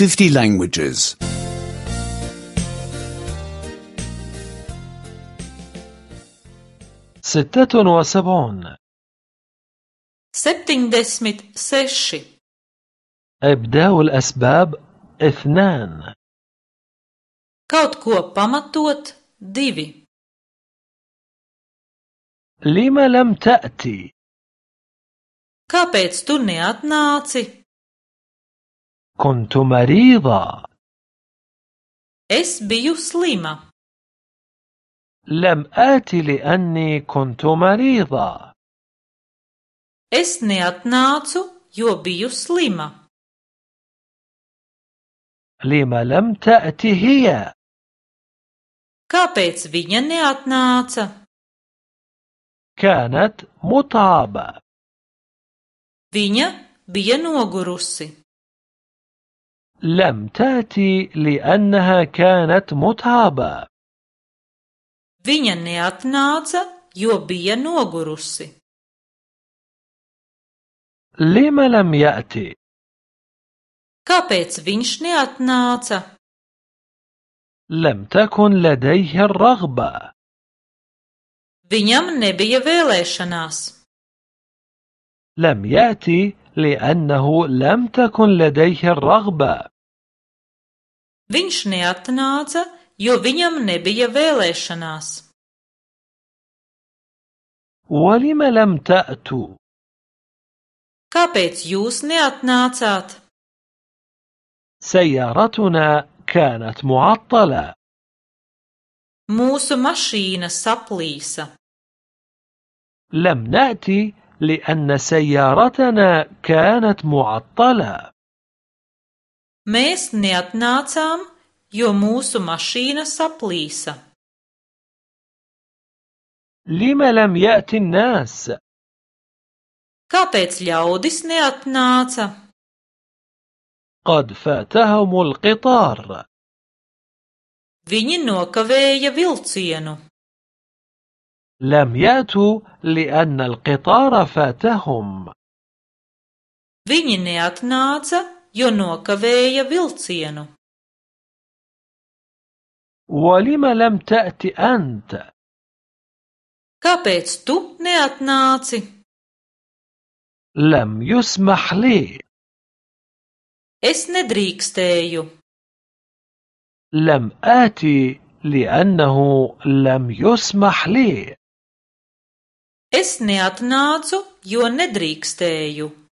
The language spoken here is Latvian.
50 languages. 76 76 إبداء الأسباب 2 Kaut ko pamatot 2 لم لم تأتي؟ Kāpēc tu neatnāci? كنت مريضة. Es biju slima. لم آتي لأني كنت مريضة. Es neatnācu, jo biju slima. لم لم تأتي هي؟ Kāpēc viņa neatnāca? كانت متعبة. Viņa bija nogurusi. لم تأتي لأنها كانت متعبة. Viņa neatnāca, jo bija nogurusi. لم لم يأتي؟ Kāpēc viņš neatnāca? لم تكن لديه الرغبة. Viņam nebija vēlēšanās. لم يأتي لأنه لم تكن لديه الرغبة. Viņš neatnāca, jo viņam nebija vēlēšanās. ولم لم تأتوا؟ Kāpēc jūs neatnācāt? سيارتنا كانت معطلة. Mūsu mašīna saplīsa. لم نأتي لأن سيارتنا كانت معطلة. Mēs neatnācām, jo mūsu mašīna saplīsa. لم لم يأتي الناس؟ Kāpēc ļaudis neatnāca? قد فاتهم القطار. Viņi nokavēja vilcienu. لم يأتوا لأن القطار فاتهم. Viņi neatnāca, jo nokavēja vilcienu. ولم لم تأتي أنت؟ Kāpēc tu neatnāci? لم يسمح لي. Es nedrīkstēju. لم آتي لأنه لم يسمح لي. Es neatnācu, jo nedrīkstēju.